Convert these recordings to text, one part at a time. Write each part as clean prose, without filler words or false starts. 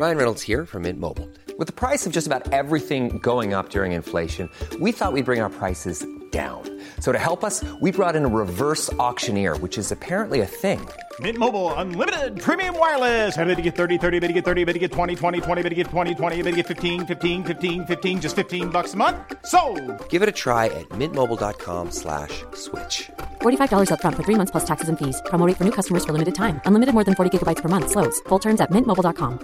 Ryan Reynolds here from Mint Mobile. With the price of just about everything going up during inflation, we thought we'd bring our prices down. So to help us, we brought in a reverse auctioneer, which is apparently a thing. Mint Mobile Unlimited Premium Wireless. How to get 30, 30, bit to get 30, bit to get 20, 20, 20, bit to get 20, 20, bit to get 15, 15, 15, 15, just $15 a month? Sold! Give it a try at mintmobile.com/switch. $45 up front for 3 months plus taxes and fees. Promo rate for new customers for limited time. Unlimited more than 40 gigabytes per month. Slows full terms at mintmobile.com.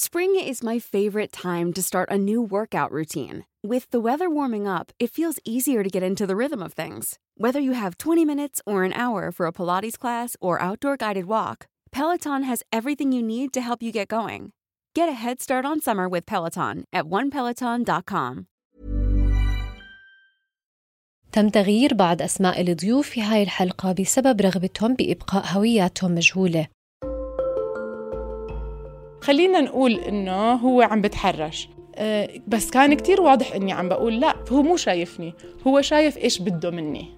Spring is my favorite time to start a new workout routine. With the weather warming up, it feels easier to get into the rhythm of things. Whether you have 20 minutes or an hour for a Pilates class or outdoor guided walk, Peloton has everything you need to help you get going. Get a head start on summer with Peloton at onepeloton.com. تم تغيير بعض أسماء الضيوف في هاي الحلقة بسبب رغبتهم بإبقاء هوياتهم مجهولة. خلينا نقول إنه هو عم بتحرش، بس كان كتير واضح إني عم بقول لا، هو مو شايفني، هو شايف إيش بده مني.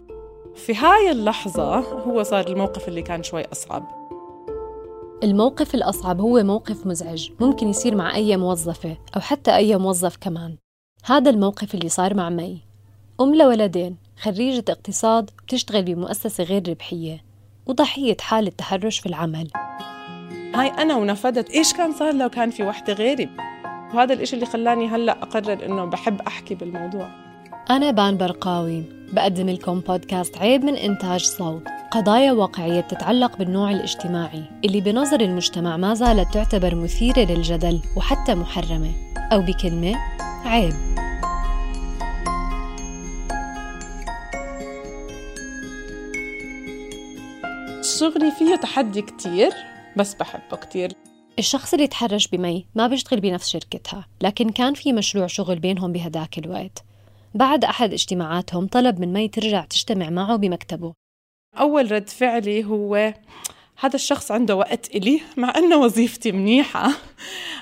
في هاي اللحظة هو صار الموقف اللي كان شوي أصعب. الموقف الأصعب هو موقف مزعج ممكن يصير مع أي موظفة أو حتى أي موظف كمان. هذا الموقف اللي صار مع مي، أم لولدين، خريجة اقتصاد بتشتغل بمؤسسة غير ربحية وضحية حالة تحرش في العمل. هاي أنا ونفدت إيش كان صار لو كان في وحدة غيري، وهذا الإشي اللي خلاني هلأ أقرر إنه بحب أحكي بالموضوع. أنا بان برقاوي بقدم لكم بودكاست عيب من إنتاج صوت، قضايا واقعية بتتعلق بالنوع الاجتماعي اللي بنظر المجتمع ما زالت تعتبر مثيرة للجدل وحتى محرمة، أو بكلمة عيب. شغلي فيه تحدي كتير بس بحبه كتير. الشخص اللي تحرش بمي ما بيشتغل بنفس شركتها، لكن كان في مشروع شغل بينهم بهداك الوقت. بعد أحد اجتماعاتهم طلب من مي ترجع تجتمع معه بمكتبه. أول رد فعلي هو هذا الشخص عنده وقت إلي، مع أنه وظيفتي منيحة،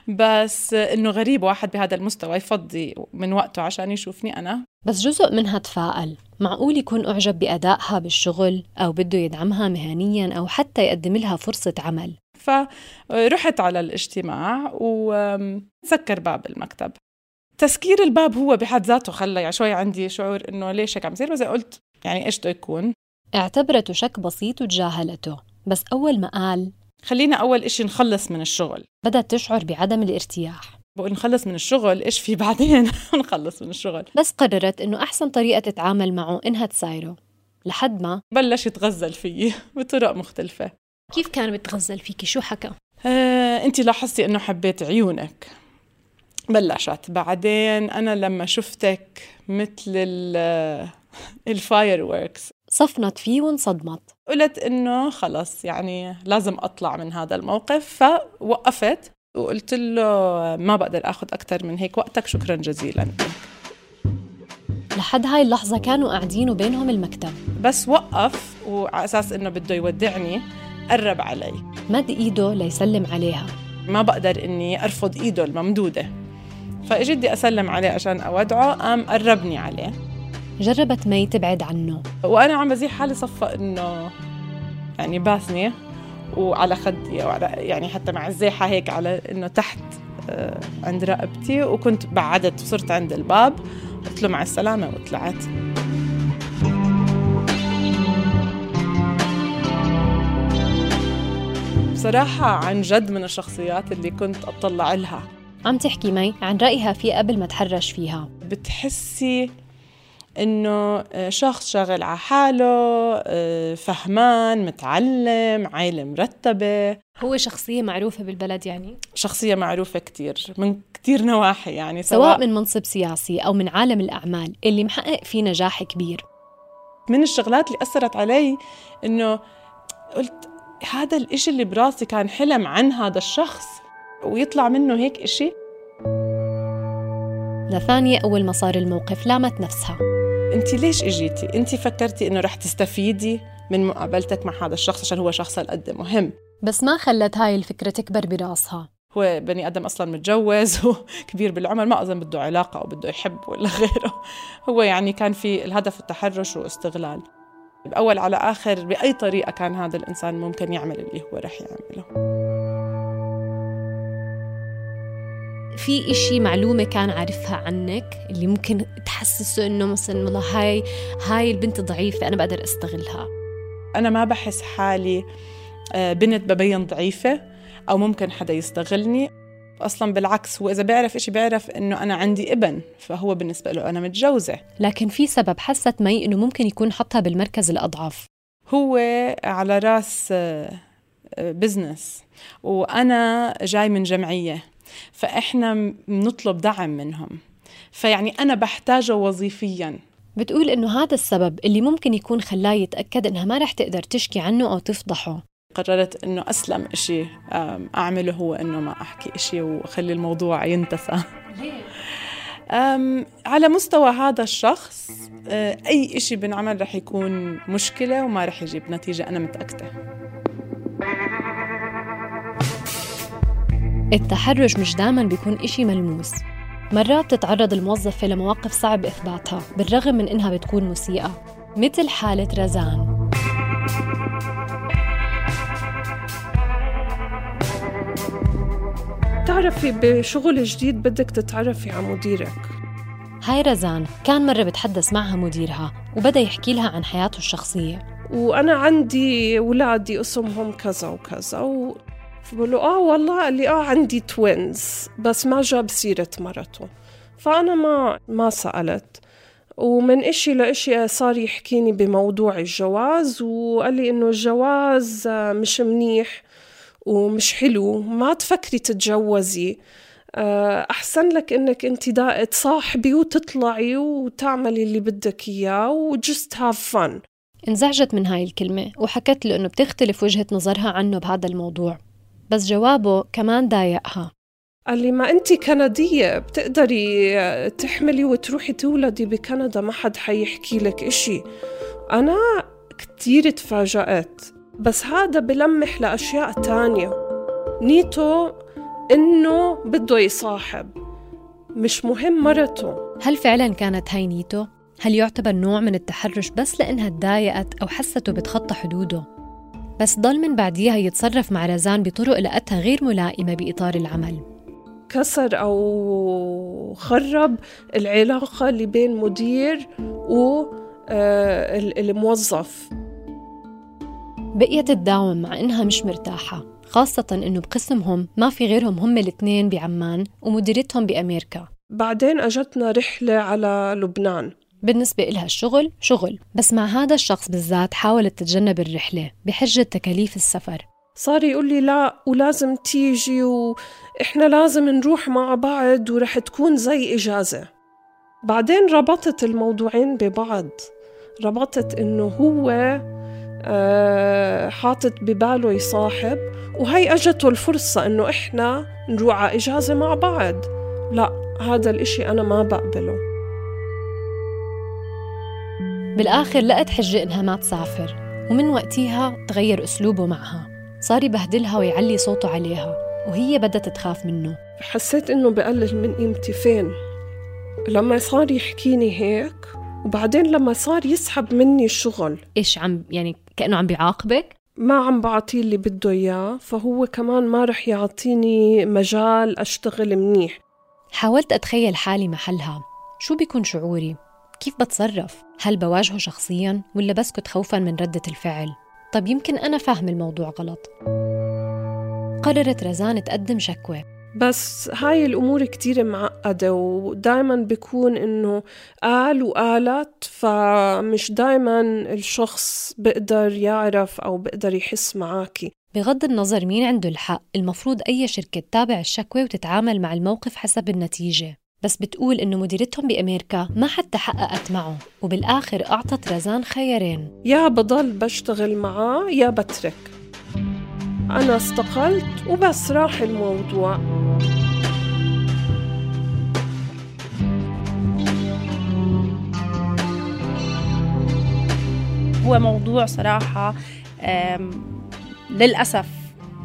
بس إنه غريب واحد بهذا المستوى يفضي من وقته عشان يشوفني أنا. بس جزء منها تفاءل، معقول يكون أعجب بأدائها بالشغل أو بده يدعمها مهنياً أو حتى يقدم لها فرصة عمل. فرحت على الاجتماع وسكر باب المكتب. تسكير الباب هو بحد ذاته خلى يعني شوي عندي شعور إنه ليش هيك عم يصير، بس قلت يعني إيش بده يكون. اعتبرته شك بسيط وتجاهلته، بس أول ما قال خلينا أول إشي نخلص من الشغل، بدأت تشعر بعدم الارتياح. بقول نخلص من الشغل، إيش في بعدين؟ نخلص من الشغل. بس قررت إنه أحسن طريقة تتعامل معه إنها تسايره، لحد ما بلش يتغزل فيي بطرق مختلفة. كيف كان بتغزل فيكي؟ شو حكى؟ أنتي لاحظتي إنه حبيت عيونك. بلشت بعدين أنا لما شفتك مثل الفايروركس. صفنت فيه وانصدمت. قلت إنه خلص يعني لازم أطلع من هذا الموقف، فوقفت وقلت له ما بقدر أخذ أكتر من هيك وقتك، شكرا جزيلا. لحد هاي اللحظة كانوا قاعدين وبينهم المكتب، بس وقف وعلى أساس إنه بده يودعني قرب علي، مد إيده ليسلم عليها. ما بقدر إني أرفض إيده الممدودة، فإجي بدي أسلم عليه عشان أودعه، قام قربني عليه. جربت مي تبعد عنه وأنا عم بزيح حالي، صفى إنه يعني باسني وعلى خدي يعني حتى مع الزيحة هيك على إنه تحت عند رقبتي، وكنت بعدت وصرت عند الباب، قلت له مع السلامة وطلعت. بصراحة عن جد من الشخصيات اللي كنت أطلع لها. عم تحكي مي عن رأيها فيه قبل ما تحرش فيها. بتحسي إنه شخص شغل على حاله، فهمان، متعلم، عائلة مرتبة. هو شخصية معروفة بالبلد، يعني شخصية معروفة كتير من كتير نواحي، يعني سواء من منصب سياسي أو من عالم الأعمال اللي محقق فيه نجاح كبير. من الشغلات اللي أثرت علي إنه قلت هذا الإشي اللي براسي كان حلم عن هذا الشخص ويطلع منه هيك إشي. لثانية أول ما صار الموقف لامت نفسها. أنتي ليش إجيتي؟ أنتي فكرتي إنه رح تستفيدي من مقابلتك مع هذا الشخص عشان هو شخص قد مهم. بس ما خلت هاي الفكرة تكبر براسها. هو بني آدم أصلاً متجوز وكبير بالعمر، ما أظن بده علاقة أو بده يحب ولا غيره. هو يعني كان في الهدف التحرش واستغلال. بأول على آخر بأي طريقة كان هذا الإنسان ممكن يعمل اللي هو رح يعمله. في إشي معلومة كان عارفها عنك اللي ممكن تحسسه إنه مثلا والله هاي البنت ضعيفة أنا بقدر أستغلها؟ أنا ما بحس حالي بنت ببين ضعيفة أو ممكن حدا يستغلني أصلاً. بالعكس، هو إذا بيعرف إشي بيعرف إنه أنا عندي ابن، فهو بالنسبة له أنا متجوزة. لكن في سبب حست مي إنه ممكن يكون حطها بالمركز الأضعف. هو على راس بزنس وأنا جاي من جمعية، فإحنا بنطلب دعم منهم، فيعني أنا بحتاجه وظيفياً. بتقول إنه هذا السبب اللي ممكن يكون خلاه يتأكد إنها ما رح تقدر تشكي عنه أو تفضحه. قررت إنه أسلم إشي أعمله هو إنه ما أحكي إشي وخلي الموضوع ينتسى. على مستوى هذا الشخص أي إشي بنعمل رح يكون مشكلة وما رح يجيب نتيجة، أنا متأكدة. التحرش مش دايماً بيكون إشي ملموس. مرات تتعرض الموظفة لمواقف صعب إثباتها بالرغم من إنها بتكون مسيئة، مثل حالة رزان. تعرفي بشغل جديد بدك تتعرفي على مديرك. هاي رزان كان مرة بتحدث معها مديرها وبدأ يحكي لها عن حياته الشخصية. وأنا عندي ولادي اسمهم كذا وكذا فبقولوا والله قال لي عندي توينز، بس ما جاب سيرة مرته. فأنا ما سألت، ومن إشي لإشي صار يحكيني بموضوع الجواز، وقال لي إنه الجواز مش منيح ومش حلو، ما تفكري تتجوزي، أحسن لك إنك أنت تصاحبي وتطلعي وتعملي اللي بدك إياه وجست هاف فن. انزعجت من هاي الكلمة وحكت له إنه بتختلف وجهة نظرها عنه بهذا الموضوع، بس جوابه كمان ضايقها. قال لي ما أنت كندية بتقدري تحملي وتروحي تولدي بكندا، ما حد حيحكي لك إشي. أنا كتير تفاجأت، بس هذا بلمح لأشياء تانية. نيته إنه بده يصاحب، مش مهم مرته. هل فعلاً كانت هاي نيته؟ هل يعتبر نوع من التحرش بس لأنها تضايقت أو حسته بتخطى حدوده؟ بس ضل من بعديها يتصرف مع رزان بطرق لقتها غير ملائمة بإطار العمل. كسر أو خرب العلاقة اللي بين مدير والموظف. بقيت تداوم مع إنها مش مرتاحة، خاصة إنه بقسمهم ما في غيرهم هم الاثنين بعمان ومديرتهم بأمريكا. بعدين أجتنا رحلة على لبنان. بالنسبة إلها الشغل شغل، بس مع هذا الشخص بالذات حاولت تتجنب الرحلة بحجة تكاليف السفر. صار يقول لي لا ولازم تيجي وإحنا لازم نروح مع بعض ورح تكون زي إجازة. بعدين ربطت الموضوعين ببعض، ربطت إنه هو حاطط بباله يصاحب، وهي أجته الفرصة إنه إحنا نروح على إجازة مع بعض. لا، هذا الإشي أنا ما بقبله. بالآخر لقت حجة إنها ما تسافر، ومن وقتها تغير أسلوبه معها، صار يبهدلها ويعلي صوته عليها، وهي بدت تخاف منه. حسيت إنه بقلل من قيمتي. فين لما صار يحكيني هيك، وبعدين لما صار يسحب مني الشغل. إيش يعني كأنه عم بيعاقبك؟ ما عم بعطيه اللي بده إياه، فهو كمان ما رح يعطيني مجال أشتغل منيح. حاولت أتخيل حالي محلها، شو بيكون شعوري؟ كيف بتصرف؟ هل بواجهه شخصياً ولا بسكت خوفاً من ردة الفعل؟ طب يمكن أنا فاهم الموضوع غلط. قررت رزان تقدم شكوى، بس هاي الأمور كتير معقدة، ودايماً بيكون إنه قال وقالت، فمش دايماً الشخص بقدر يعرف أو بقدر يحس معاكي. بغض النظر مين عنده الحق، المفروض أي شركة تتابع الشكوى وتتعامل مع الموقف حسب النتيجة. بس بتقول إنه مديرتهم بأمريكا ما حتى حققت معه، وبالآخر أعطت رزان خيارين: يا بضل بشتغل معاه يا بترك. أنا استقلت وبس، راح الموضوع. هو موضوع صراحة للأسف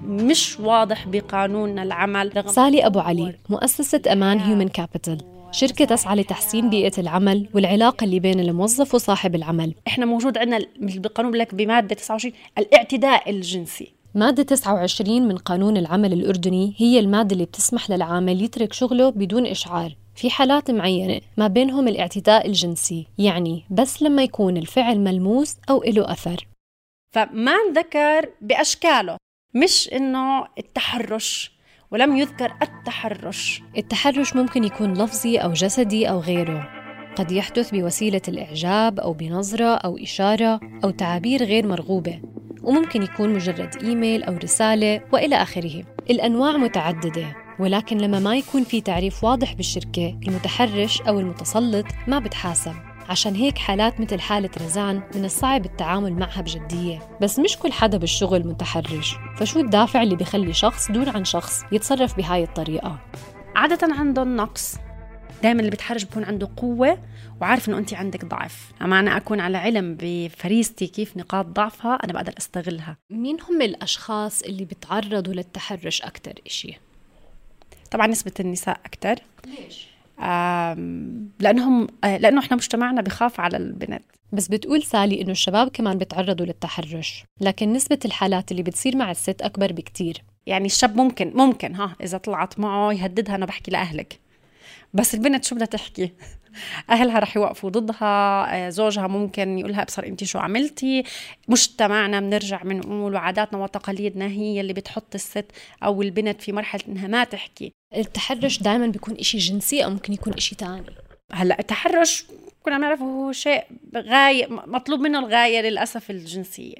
مش واضح بقانون العمل. سالي أبو علي مؤسسة أمان هيومن كابيتال، شركة تسعى لتحسين بيئة العمل والعلاقة اللي بين الموظف وصاحب العمل. إحنا موجود عندنا بالقانون لك بمادة 29 الاعتداء الجنسي. مادة 29 من قانون العمل الأردني هي المادة اللي بتسمح للعامل يترك شغله بدون إشعار في حالات معينة، ما بينهم الاعتداء الجنسي، يعني بس لما يكون الفعل ملموس أو إله أثر. فما انذكر بأشكاله، مش إنه التحرش، ولم يذكر التحرش. التحرش ممكن يكون لفظي أو جسدي أو غيره، قد يحدث بوسيلة الإعجاب أو بنظرة أو إشارة أو تعابير غير مرغوبة، وممكن يكون مجرد إيميل أو رسالة وإلى آخره. الأنواع متعددة، ولكن لما ما يكون في تعريف واضح بالشركة، المتحرش أو المتسلط ما بتحاسب. عشان هيك حالات مثل حالة رزان من الصعب التعامل معها بجدية. بس مش كل حدا بالشغل متحرش، فشو الدافع اللي بيخلي شخص دون عن شخص يتصرف بهاي الطريقة؟ عادة عندهم نقص. دائما اللي بتحرش بيكون عنده قوة وعارف إنه أنت عندك ضعف. أما أنا أكون على علم بفريستي كيف نقاط ضعفها، أنا بقدر أستغلها. مين هم الأشخاص اللي بيتعرضوا للتحرش أكتر إشي؟ طبعا نسبة النساء أكتر. ليش؟ لأنه إحنا مجتمعنا بخاف على البنات. بس بتقول سالي إنه الشباب كمان بيتعرضوا للتحرش، لكن نسبة الحالات اللي بتصير مع الست أكبر بكتير. يعني الشاب ممكن إذا طلعت معه يهددها، أنا بحكي لأهلك. بس البنت شو بدها تحكي؟ أهلها رح يوقفوا ضدها، زوجها ممكن يقولها أبصر أنت شو عملتي. مجتمعنا بنرجع بنقول وعاداتنا وتقاليدنا هي اللي بتحط الست أو البنت في مرحلة إنها ما تحكي. التحرش دائما بيكون إشي جنسي أو ممكن يكون إشي تاني. هلأ التحرش كنا نعرفه هو شيء غاية، مطلوب منه الغاية للأسف الجنسية.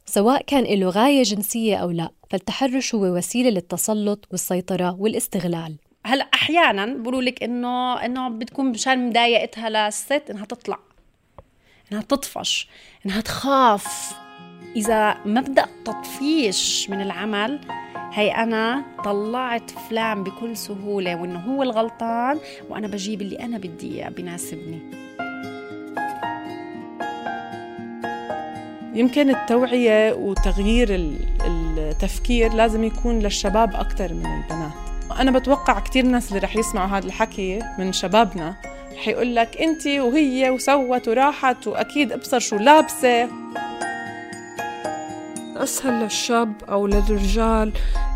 سواء كان له غاية جنسية أو لا، فالتحرش هو وسيلة للتسلط والسيطرة والاستغلال. هلا احيانا بقولوا لك انه بتكون مشان مضايقتها للست انها تطلع، انها تطفش، انها تخاف. اذا مبدا تطفيش من العمل، هي انا طلعت فلان بكل سهوله وانه هو الغلطان، وانا بجيب اللي انا بدي اياه بناسبني. يمكن التوعيه وتغيير التفكير لازم يكون للشباب اكثر من البنات. أنا بتوقع كتير ناس اللي رح يسمعوا هذا الحكي من شبابنا رح يقول لك أنتي وهي وسوت وراحت وأكيد أبصر شو لابسة. أسهل للشاب أو للرجال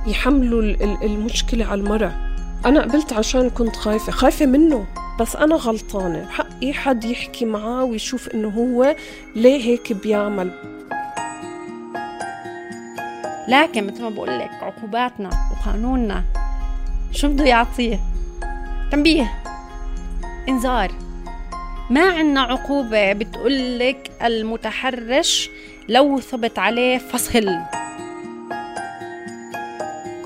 يحملوا المشكلة على المرأة. أنا قبلت عشان كنت خايفة منه، بس أنا غلطانة، حقي حد يحكي معاه ويشوف إنه هو ليه هيك بيعمل. لكن مثل ما بقول لك عقوباتنا وقانوننا شو بده يعطيه؟ تنبيه، انذار. ما عنا عقوبة بتقولك المتحرش لو ثبت عليه فصل.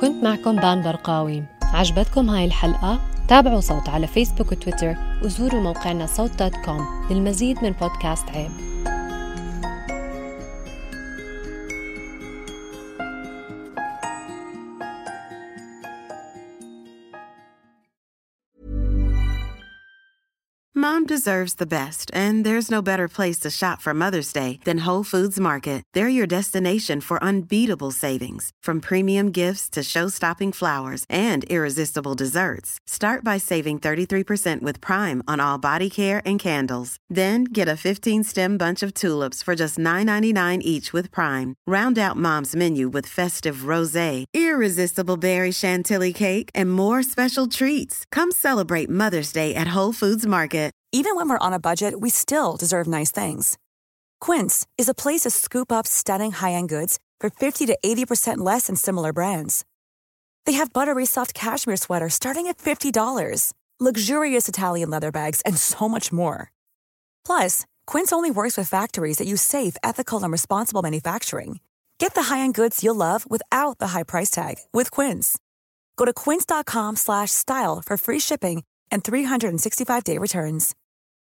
كنت معكم بان برقاوي. عجبتكم هاي الحلقة؟ تابعوا صوت على فيسبوك وتويتر، وزوروا موقعنا صوت.com للمزيد من بودكاست عيب. Mom deserves the best, and there's no better place to shop for Mother's Day than Whole Foods Market. They're your destination for unbeatable savings, from premium gifts to show-stopping flowers and irresistible desserts. Start by saving 33% with Prime on all body care and candles. Then get a 15-stem bunch of tulips for just $9.99 each with Prime. Round out Mom's menu with festive rosé, irresistible berry chantilly cake, and more special treats. Come celebrate Mother's Day at Whole Foods Market. Even when we're on a budget, we still deserve nice things. Quince is a place to scoop up stunning high-end goods for 50 to 80% less than similar brands. They have buttery soft cashmere sweaters starting at $50, luxurious Italian leather bags, and so much more. Plus, Quince only works with factories that use safe, ethical, and responsible manufacturing. Get the high-end goods you'll love without the high price tag with Quince. Go to quince.com/style for free shipping and 365-day returns.